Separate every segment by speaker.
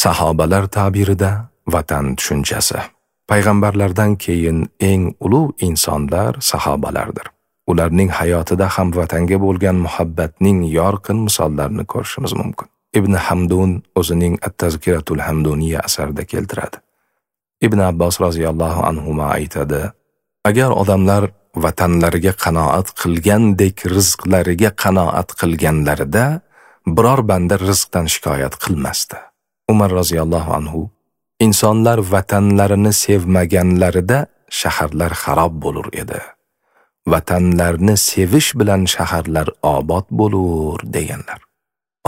Speaker 1: Sahobalar ta'birida vatan tushunchasi. Payg'ambarlardan keyin eng ulug' insonlar sahobalardir. Ularning hayotida ham vatanga bo'lgan muhabbatning yorqin misollarini ko'rishimiz mumkin. Ibn Hamdun o'zining At-Tazkiratul Hamduniya asarida keltiradi. Ibn Abbos roziyallohu anhuma aytadi: agar odamlar vatanlariga qanoat qilgandek rizqlariga qanoat qilganlarida biror banda rizqdan shikoyat qilmasdi. Umar roziyallohu anhu: insonlar vatanlarini sevmaganlarida shaharlar xarob bo'lur edi. Vatanlarni sevish bilan shaharlar obod bo'lur deganlar.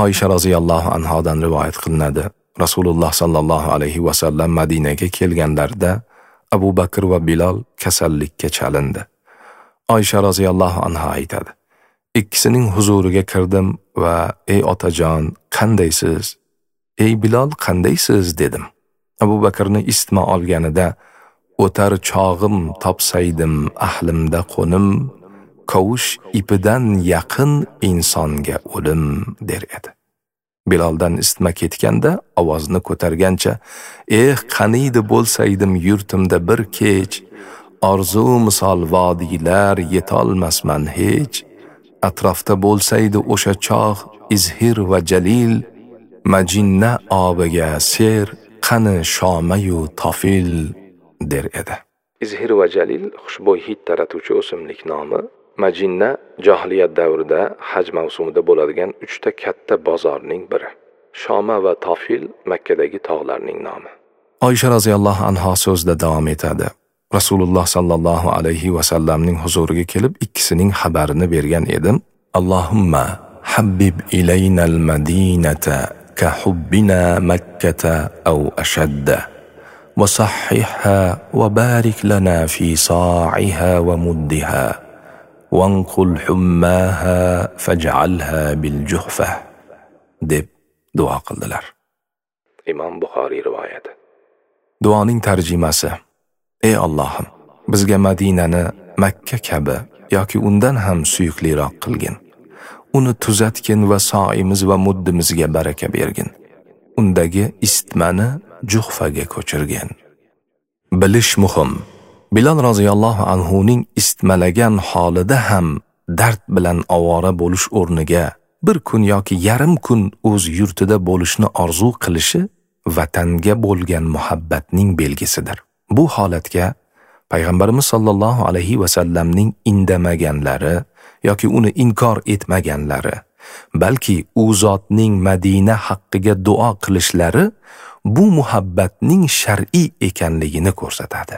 Speaker 1: Oysha roziyallohu anhodan rivoyat qilinadi. Rasululloh sallallohu alayhi va sallam Madinaga kelganlarida Abu Bakr va Bilol kasallikka chalindi. Oysha roziyallohu anha aytadi: ikkisining huzuriga kirdim va ey otajon, qandaysiz? Ey Bilol, qandaysiz dedim. Abu Bakrni isitma olganida o'tar chog'im topsaydim ahlimda qo'nim, kavush ipidan yaqin insonga o'lim der edi. Biloldan isitma ketganda ovozni ko'targancha: eh, qaniydi bo'lsaydim yurtimda bir kech, orzu misol vodiylar yetolmasman hech, atrofda bo'lsaydi o'sha chog' izhir va jalil, majinna obiga ser, qani shomayu tofil der edi. Izhir va jalil xushbo'y hid taratuvchi o'simlik nomi. Majinna johiliyat davrida haj mavsumida bo'ladigan 3 ta katta bozorning biri. Shoma va Tofil Makkadagi tog'larning nomi. Oysha roziyallohu anha so'zida davom etadi. Rasululloh sallallohu alayhi va sallamning huzuriga kelib ikkisining xabarini bergan edim. Allohumma habbib ilaynal madinata ka hubbina Makkata aw ashadda wa sahhihha wa barik lana fi sa'iha wa muddiha wanqul hummaha faj'alha bil juhfa deb duo qildilar. Imom Buxoriy rivoyati. Duoning tarjimasi: Ey Allohim, bizga Madinani Makka kabi yoki undan ham suyukliroq qilgin. Uni tuzatgin va soimiz va muddimizga baraka bergin. Undagi isitmani Juhfaga ko'chirgin. Bilish muhim. Bilol roziyallohu anhuning isitmalagan holida ham dard bilan ovora bo'lish o'rniga bir kun yoki yarim kun o'z yurtida bo'lishni orzu qilishi vatanga bo'lgan muhabbatning belgisidir. Bu holatga Payg'ambarimiz sallallohu alayhi va sallamning indamaganlari yoki uni inkor etmaganlari, balki u zotning Madina haqqiga duo qilishlari bu muhabbatning shar'iy ekanligini ko'rsatadi.